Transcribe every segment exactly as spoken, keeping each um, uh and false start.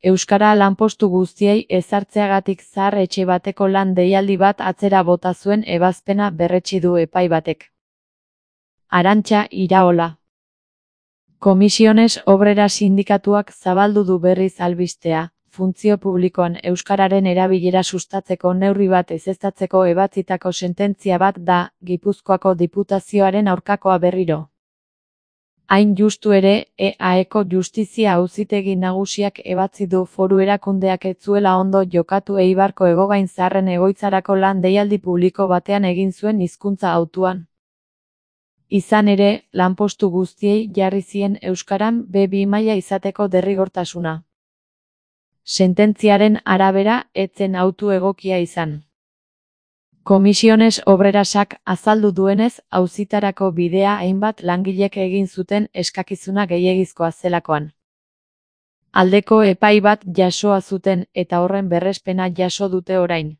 Euskara lanpostu guztiei ezartzeagatik zahar etxe bateko lan deialdi bat atzera bota zuen ebazpena berretsi du epai batek. Arantxa Iraola. Comisiones Obreras sindikatuak zabaldu du berriz albistea, funtzio publikoan euskararen erabilera sustatzeko neurri bat ezeztatzeko ebatzitako sententzia bat da, Gipuzkoako Diputazioaren aurkakoa berriro. Hain justu ere, E A Eko Justizia Auzitegi Nagusiak ebatzi du foru erakundeak ez zuela ondo jokatu Eibarko Hegogain Zaharren egoitzarako lan deialdi publiko batean egin zuen hizkuntza hautuan. Izan ere, lanpostu guztiei jarri zien euskaran be bi maila izateko derrigortasuna. Sententziaren arabera, ez zen hautu egokia izan. Comisiones Obrerasak azaldu duenez, auzitarako bidea hainbat langilek egin zuten eskakizuna gehiegizkoa zelakoan. Aldeko epai bat jasoa zuten eta horren berrespena jaso dute orain.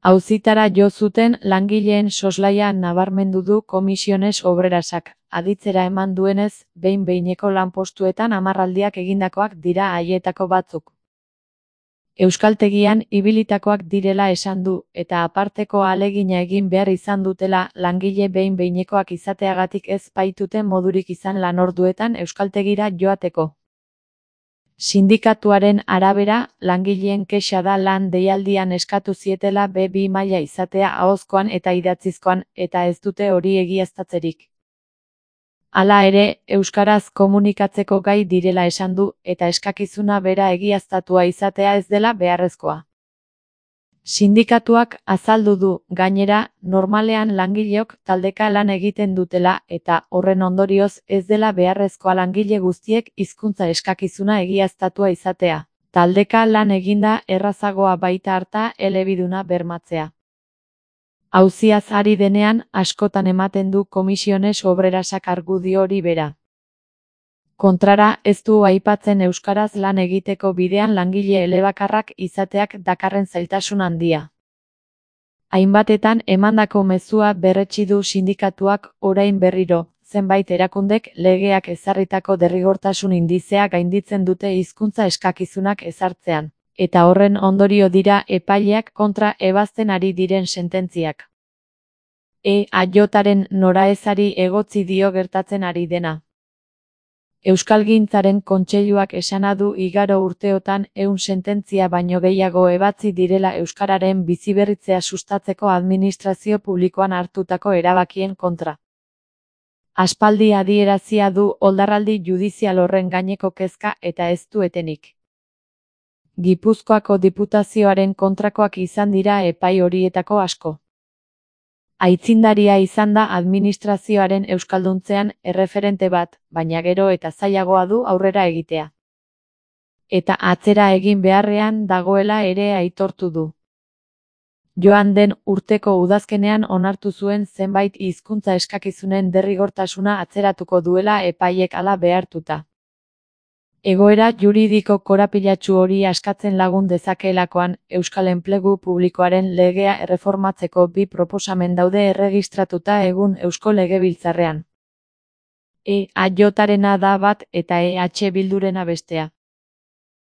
Auzitara jo zuten langileen soslaia nabarmendu du Comisiones Obrerasak, aditzera eman duenez, behin-behineko lanpostuetan hamarraldiak egindakoak dira haietako batzuk. Euskaltegian ibilitakoak direla esan du, eta aparteko ahalegina egin behar izan dutela langile behin-behinekoak izateagatik ez baituten modurik izan lanorduetan euskaltegira joateko. Sindikatuaren arabera, langileen kexa da lan deialdian eskatu zietela be bi maila izatea ahozkoan eta idatzizkoan, eta ez dute hori egiaztatzerik. Hala ere, euskaraz komunikatzeko gai direla esan du, eta eskakizuna bera egiaztatua izatea ez dela beharrezkoa. Sindikatuak azaldu du, gainera, normalean langileok taldeka lan egiten dutela eta horren ondorioz ez dela beharrezkoa langile guztiek hizkuntza eskakizuna egiaztatua izatea. Taldeka lan eginda errazagoa baita harta elebiduna bermatzea. Auziaz ari denean, askotan ematen du Comisiones Obrerasak argudio hori bera. Kontrara, ez du aipatzen euskaraz lan egiteko bidean langile elebakarrak izateak dakarren zailtasun handia. Hainbatetan emandako mezua berretsi du sindikatuak orain berriro, zenbait erakundek legeak ezarritako derrigortasun indizea gainditzen dute hizkuntza eskakizunak ezartzean, eta horren ondorio dira epaileak kontra ebazten ari diren sententziak. E A Jaren noraezari egotzi dio gertatzen ari dena. Euskalgintzaren Kontseiluak esana du igaro urteotan ehun sententzia baino gehiago ebatzi direla euskararen biziberritzea sustatzeko administrazio publikoan hartutako erabakien kontra. Aspaldi adierazia du oldarraldi judizial horren gaineko kezka eta ez du etenik. Gipuzkoako Diputazioaren kontrakoak izan dira epai horietako asko. Aitzindaria izan da administrazioaren euskalduntzean erreferente bat, baina gero eta zailagoa du aurrera egitea. Eta atzera egin beharrean dagoela ere aitortu du. Joan den urteko udazkenean onartu zuen zenbait hizkuntza eskakizunen derrigortasuna atzeratuko duela epaiek hala behartuta. Egoera juridiko korapilatsu hori askatzen lagun dezakeelakoan, Euskal Enplegu Publikoaren legea erreformatzeko bi proposamen daude erregistratuta egun Eusko Legebiltzarrean. E A Jarena da bat eta E H Bildurena bestea.